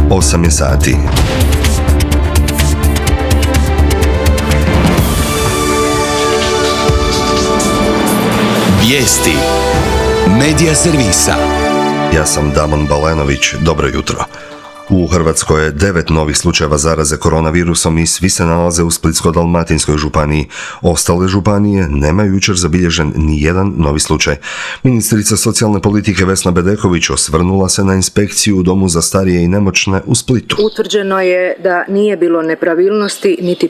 8 je sati. Vijesti Medija servisa. Ja sam Damon Balenović, dobro jutro. U Hrvatskoj je 9 novih slučajeva zaraze koronavirusom i svi se nalaze u Splitsko-dalmatinskoj županiji. Ostale županije nemaju jučer zabilježen ni jedan novi slučaj. Ministrica socijalne politike Vesna Bedeković osvrnula se na inspekciju u domu za starije i nemoćne u Splitu. Utvrđeno je da nije bilo nepravilnosti niti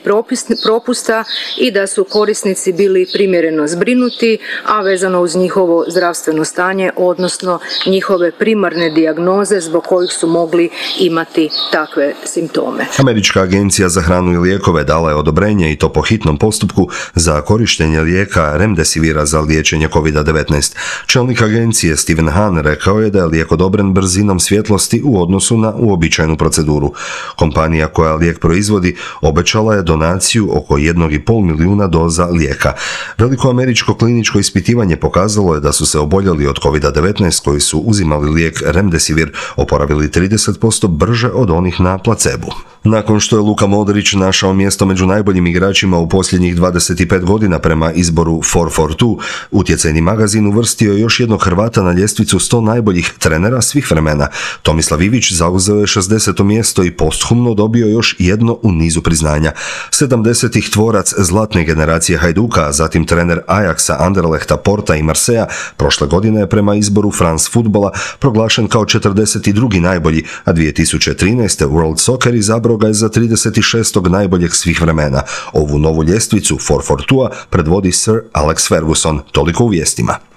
propusta i da su korisnici bili primjereno zbrinuti, a vezano uz njihovo zdravstveno stanje, odnosno njihove primarne dijagnoze zbog kojih su mogli imati takve simptome. Američka agencija za hranu i lijekove dala je odobrenje, i to po hitnom postupku, za korištenje lijeka Remdesivira za liječenje COVID-19. Čelnik agencije Stephen Hahn rekao je da je lijek odobren brzinom svjetlosti u odnosu na uobičajenu proceduru. Kompanija koja lijek proizvodi obećala je donaciju oko 1,5 milijuna doza lijeka. Veliko američko kliničko ispitivanje pokazalo je da su se oboljeli od COVID-19 koji su uzimali lijek Remdesivir oporavili 30% brže od onih na placebu. Nakon što je Luka Modrić našao mjesto među najboljim igračima u posljednjih 25 godina prema izboru 442, utjecajni magazin uvrstio je još jednog Hrvata na ljestvicu 100 najboljih trenera svih vremena. Tomislav Ivić zauzeo je 60. mjesto i posthumno dobio još jedno u nizu priznanja. 70-ih tvorac zlatne generacije Hajduka, a zatim trener Ajaxa, Anderlechta, Porta i Marseja, prošle godine je prema izboru France Futbola proglašen kao 42. najbolji, a 2013. World Soccer izabrao ga je za 36. najboljeg svih vremena. Ovu novu ljestvicu 442 predvodi Sir Alex Ferguson. Toliko u vijestima.